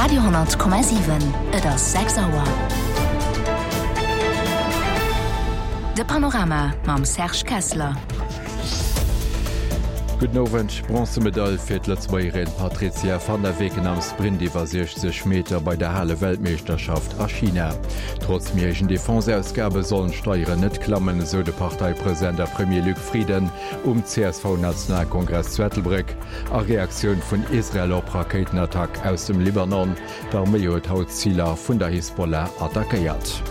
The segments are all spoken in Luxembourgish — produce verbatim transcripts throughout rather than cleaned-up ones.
Radio honnert Komma siwen, Et ass sechs Auer. De Panorama mam Serge Kessler. Gudden Owend. Bronzemedail fir d'Lëtzebuergerin Patrizia van der Weken am Sprint iwwer siechzeg Meter bei der Hale-Weltmeeschterschaft a China. Trotz méi héijen Defense-Ausgabe sollen d'Steieren net klammen, esou de Parteipresident a Premier Luc Frieden um C S V-Nationalkongress zu Ettelbréck. A Reaktioun vun Israel op Rakéitenattack aus dem Libanon, D'Arméi huet haut Ziler vun der Hisbollah attackéiert.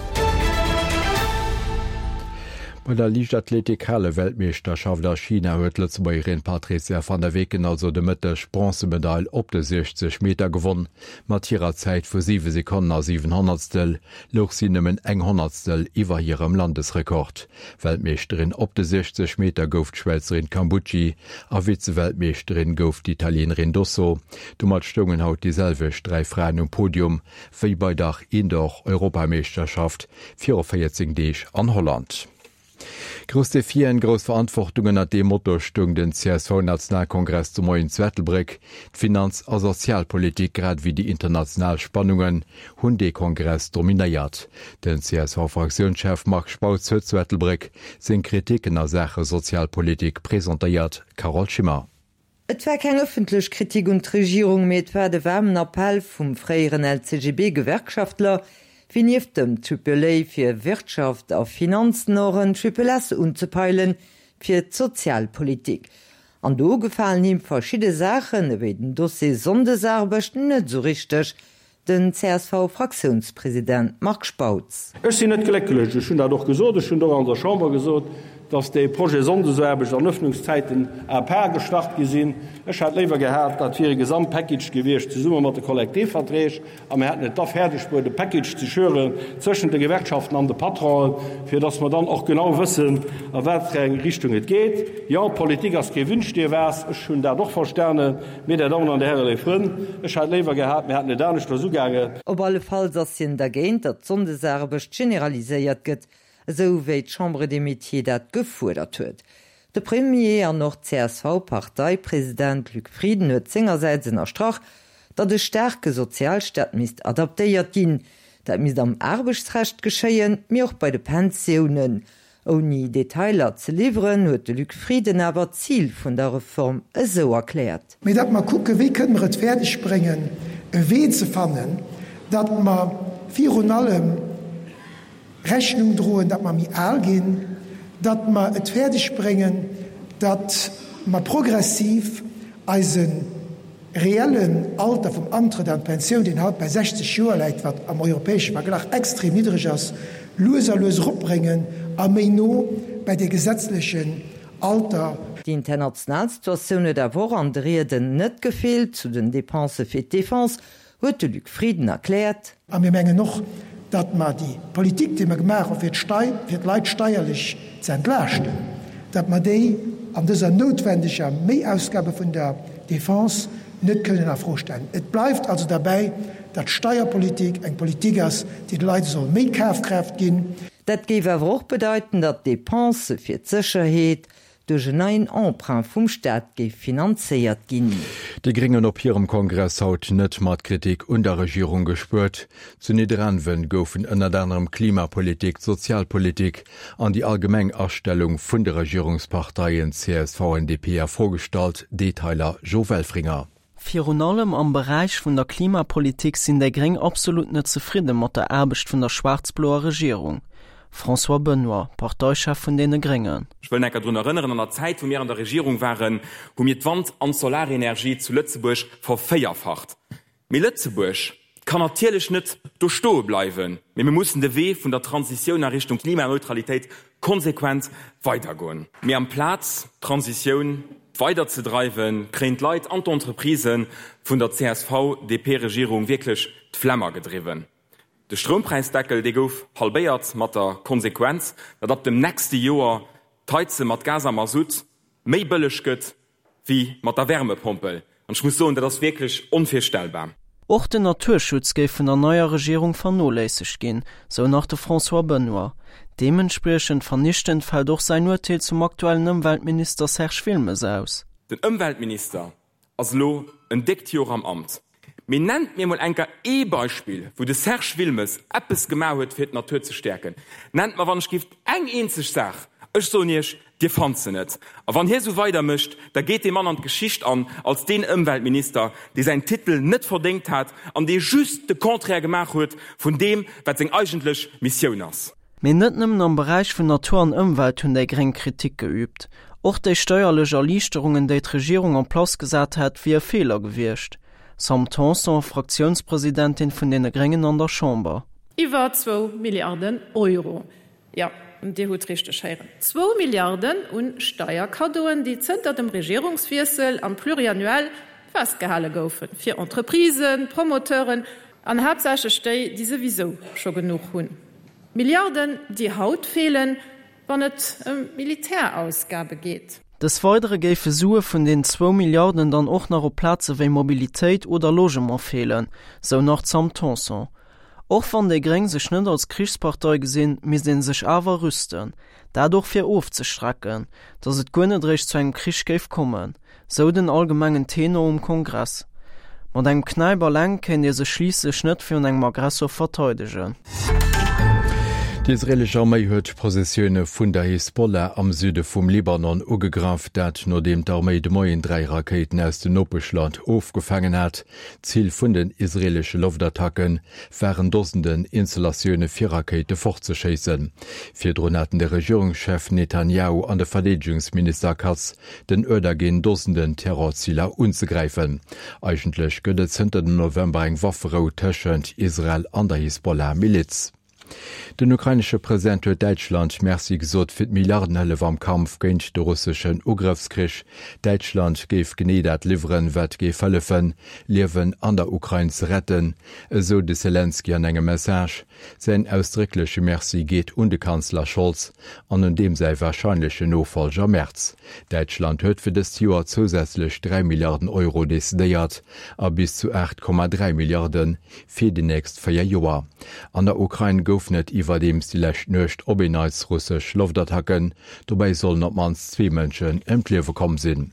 Bei der Liichtathletik-Hale-Weltmeeschterschaft a China huet d'Lëtzebuergerin Patrizia van der Weken also de Mëtteg d'Bronzemedail op de siechzeg Meter gewonn. Mat hirer Zäit vu siwe Sekonnen a siwen Honnertstel louch si nëmmen eng Honnertstel iwwer hirem Landesrekord. Weltmeeschterin op de siechzeg Meter gouf d'Schwäizerin Cambucci a Vize-Weltmeeschterin gouf d'Italienerin Dosso. Domat stoungen haut déi selwecht dräi Fraen um Podium wéi bei der Indoor-Europameeschterschaft viru véierzéng Deeg an Holland. Grouss Defien, grouss Verantwortung, ënnert deem Motto stoung den C S V-Nationalkongress de Moien zu Ettelbréck. D'Finanz a Sozialpolitik grad ewéi déi international Spannungen hunn dee Kongress dominéiert. Den C S V-Fraktiounschef Marc Spautz huet zu Ettelbréck seng Kritiken a Saache Sozialpolitik presentéiert. Carole Schimmer. Et war keng ëffentlech Kritik un d'Regierung, mee et war de waarmen Appell vum fréieren L C G B-Gewerkschaftler, fir nieft dem Triple A fir Wirtschaft a Finanzen och en Triple S unzepeilen, fir d'Sozialpolitik. An do gefalen him verschidde Saachen, ewéi den Dossier Sonndesaarbecht, net esou richteg, den C S V-Fraktiounspresident Marc Spautz. Ech sinn net glécklech, ech hunn dat och gesot, ech hunn et och an der Chamber gesot, dass dee Projet Sonndesaarbecht an Öffnungszäiten à part gestart gi sinn. Ech hätt léiwer gehat, dat wier e Gesamtpackage gewiescht zesumme mat de Kollektivverträg a mir hätten et da fäerdeg bruet, e Package ze schüren zwëschent de Gewerkschaften an de Patronen, fir dass mer dann och genau wëssen, a wat fir eng Richtung et geet. Jo, Politik ass kee Wünsch-dir-was, ech hunn dat och verstanen. Mee, Dir Dammen an Dir Hären, léif Frënn, ech hätt léiwer gehat, mir hätten et aneschters ugaangen. Op alle Falls ass hien dergéint, datt d'Sonndesaarbecht generaliséiert gëtt, esou wéi d'Chambre des Métiers dat gefuerdert huet. De Premier an och C S V-Parteipresident Luc Frieden huet sengersäits ënnerstrach, datt e staarke Sozialstaat misst adaptéiert ginn. Dat misst am Aarbechtsrecht geschéien, mee och bei de Pensiounen. Ouni Detailer ze liwweren, huet de Luc Frieden awer d'Zil vun der Reform esou erkläert. Mee datt mer kucken, wéi kënne mer et fäerdeg bréngen, e Wee ze fannen, datt mer virun allem Rechnung droen, datt mer méi al ginn, datt mer et fäerdeg bréngen, datt mer progressiv eise reellen Alter vum Antrëtt an d'Pensioun, deen haut bei sechzeg Joer läit, wat am europäesche Verglach extrem niddreg ass, lues a lues eropbréngen a méi no bei dee gesetzlechen Alter. Déi international Situatioun huet awer och an de Rieden net gefeelt. Zu den Depensë fir d'Defense huet de Luc Frieden erkläert. A mir mengen och, datt mer déi Politik, déi mer gemaach hu fir d'Stei, fir d'Leit steierlech ze entlaaschten, datt mer déi an dëser noutwendeger Méiausgabe vun der Defense net kënnen a Fro stellen. Et bleift also derbäi, datt d'Steierpolitik eng Politik ass, déi de Leit soll méi Kafkraaft ginn. Dat géif awer och bedeiten, datt d'Depensë fir d'Sécherheet duerch en neien Emprunt vum Staat géif finanzéiert ginn. Déi Gréng hunn op hirem Kongress haut net mat Kritik un der Regierung gespuert. Zu Nidderaanwen goufen ënnert anerem Klimapolitik, d'Sozialpolitik an déi allgemeng Astellung vun de Regierungsparteien C S V an D P a Fro gestallt. Detailer Jo Welfringer. Virun allem am Beräich vun der Klimapolitik sinn déi Gréng absolut net zefridde mat der Aarbecht vun der schwaarz-bloer Regierung. François Benoy, Parteichef vun deene Gréngen. Ech wëll enker drun erënneren, an der Zäit wou mir an der Regierung waren, hu mir d'Wand an d'Solarenergie zu Lëtzebuerg vervéierfacht. Mee Lëtzebuerg kann natierlech net do stoe bleiwen, mee mir mussen de Wee vun der Transitioun a Richtung Klimaneutralitéit konsequent weidergoen. Mee amplaz d'Transitioun weiderzedreiwen, kréien d'Leit an d'Entreprisen vun der C S V D P-Regierung wierklech d'Flemm agedriwwen. De Stroumpräisdeckel, dee gouf halbéiert, mat der Konsequenz, datt ab dem nächste Joer d'Heize mat Gas a Masutt méi bëlleg gëtt wéi mat der Wärmepompel. An ech muss soen, dat ass wierklech onvirstellbar. Och den Naturschutz géif vun der neier Regierung vernoléissegt ginn, sou nach de François Benoy. Deementspriechend vernichtend fält och säin Urteel zum aktuellen Ëmweltminister Serge Wilmes aus. Den Ëmweltminister ass elo en déckt Joer am Amt. Mee nennt mir mol enker ee Beispill, wou de Serge Wilmes eppes gemaach huet, fir d'Natur ze stäerken. Nennt mer wann ech giff eng eenzeg Saach. Ech soen Iech, Dir fannt se net. A wann hie sou weider mécht, da geet dee Mann an d'Geschicht an als deen Ëmweltminister, dee säin Titel net verdéngt hat an dee just de Contraire gemaach huet vun deem, wat seng eigentlech Missioun ass. Mee net nëmmen am Beräich vun Natur an Ëmwelt hunn déi Gréng Kritik geüübt. Och déi steierlech Erliichterungen, déi d'Regierung en place gesat hätt, wier e Feeler gewiescht. Sam Tanson, Fraktiounspresidentin vun deene Gréngen an der Chamber. Iwwer zwou Milliarden Euro, jo, Dir hutt richteg héieren, zwou Milliarden u Steierkaddoen, déi zënter dem Regierungswiessel am Pluriannuel festgehale goufen, fir Entreprisen, Promoteuren an haaptsächlech déi, déi souwisou scho genuch hunn. Milliarden, déi haut feelen, wann et ëm Militärausgabe geet. Des Weidere géife Sue vun den zwou Milliarden dann och nach op Plaze wéi Mobilitéit oder Logement feelen, sou nach d'Sam Tanson. Och wann déi Gréng sech net als Krichspartei gesinn, misst ee sech awer rüsten. Dat och fir ofzestrecken, datt et guer net eréischt zu engem Krich géif kommen, sou den allgemengen Tenor um Kongress. Mat engem Knäip alleng kéint ee sech schliisslech net virun engem Aggressor verteidegen. Déi israeelesch Arméi huet Positioune vun der Hisbollah am Süde vum Libanon ugegraff, dat nodeem d'Arméi de Moien dräi Rakéiten aus dem Nopeschland ofgefaangen hat. Zil vun den israeelesche Loftattacke waren Dosenden Installatioune fir Rakéite fortzeschéissen. Virdrun haten de Regierungschef Netanjahu an de Verdeedegungsminister Katz den Uerder ginn, Dosenden Terrorziler unzegräifen. Eigentlech gëtt et zënter dem November eng Wafferou tëschent Israel an der Hisbollah-Miliz. Den ukrainesche President huet Däitschland Merci gesot fir d'Milliardenhëllef am Kampf géint de russeschen Ugrëffskrich. Däitschland géif genee dat liwweren, wat géif hëllefen, Liewen an der Ukrain ze retten, esou de Selenskyj an engem Message. Säin ausdréckleche Merci geet un de Kanzler Scholz an un deem säi warscheinlechen Nofollger Merz. Däitschland huet fir dëst Joer zousätzlech dräi Milliarden Euro decidéiert a bis zu aacht Komma dräi Milliarde fir déi nächst véier Joer. An der Ukrain goufen et iwwerdeems déi lescht Nuecht op een Neits russesch Loftattacken. Dobäi sollen op d'mannst zwee Mënschen ëm d'Liewe komm sinn.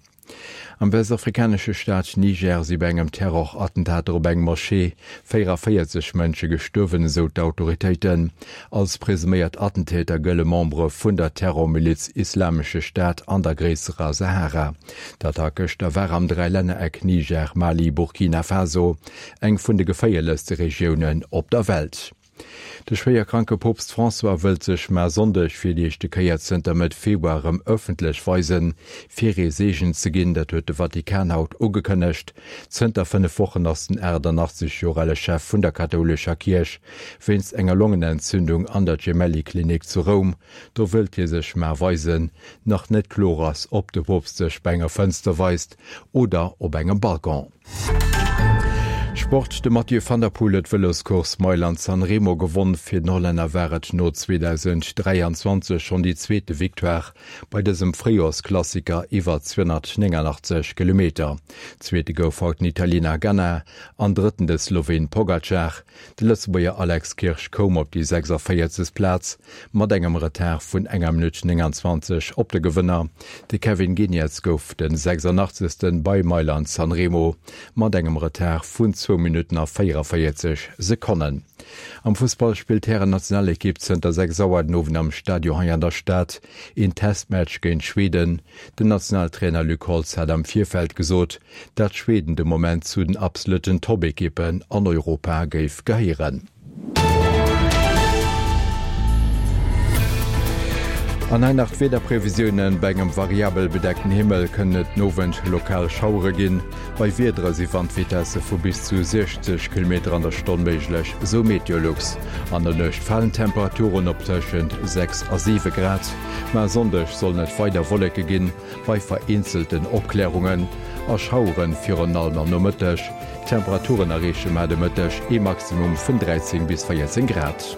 Am westafrikanesche Staat Niger si bei engem Terrorattentater op eng Moschee véierundavéierzeg Mënsche gestuerwen, esou d'Autoritéiten. Als presuméiert Attentäter gëlle Membere vun der Terrormiliz Islamesche Staat an der gréisserer Sahara. D'Attack gëschter war am Dräilännereck Niger, Mali, Burkina Faso, eng vun de geféierlechste Regiounen op der Welt. De schwéier kranke Poopst François wëllt sech mar Sonndeg fir déi éischte Kéier zënter Mëtt Februar erëm ëffentlech weisen, fir ee Seegen ze ginn. Dat huet de Vatikan haut ugekënnegt. Zënter fënnef Wochen ass den achtannachtzeg Joer ale Chef vun der kathoulescher Kierch wéinst enger Longenentzündung an der Gemelli-Klinik zu Roum. Do wëllt hie sech mar weisen. Nach net kloer ass, ob de Poopst sech bei enger Fënster weist oder op engem Balcon. Sport, De Mathieu van der Poel huet d'Vëloscourse Mailand-San Remo gewonn. Fir den Hollänner war et no zweedausendräianzwanzeg schonn déi zweete Victoire bei dësem Fréijoersklassiker iwwer zweehonnertnéngannachtzeg Kilometer. Zweete gouf haut den Italiener Ganna an Drëtten de Sloween Pogacar. De Lëtzebuerger Alex Kirsch koum op déi sechsundvéierzeg. Plaz mat engem Retard vun enger Minutt nénganzwanzeg op de Gewënner. De Kevin Geniets gouf de sechsundachtzegsten bei Mailand-San Remo mat engem Retard vun zwou Minutten a véierundavéierzeg Sekonnen. Am Fussball spillt d'Hären-Nationalekipp zënter sechs Auer den Owend am Stadion hei an der Stad een Testmatch géint Schweden. Den Nationaltrainer Luc Holtz hat am Virfeld gesot, datt Schweden de Moment zu den absolutten Top-Ekippen an Europa géif gehéieren. An hei nach d'Wiederprevisiounen, Bei engem variabel bedeckten Himmel kënnen et den Owend lokal Schauere ginn. Bei Wiedere si Wandvitesse vu bis zu siechzeg Kilometer an der Stonn méiglech, esou Meteolux. An der Nuecht falen d'Temperaturen op tëschent sechs a siwe Grad. Ma e Sonndeg sollen et weider Wolleke ginn, bei vereenzelten Opklärungen a Schauere virun allem am Nomëtteg. D'Temperaturen erreeche mar de Mëtteg ee Maximum vun dräizéng bis véierzéng Grad.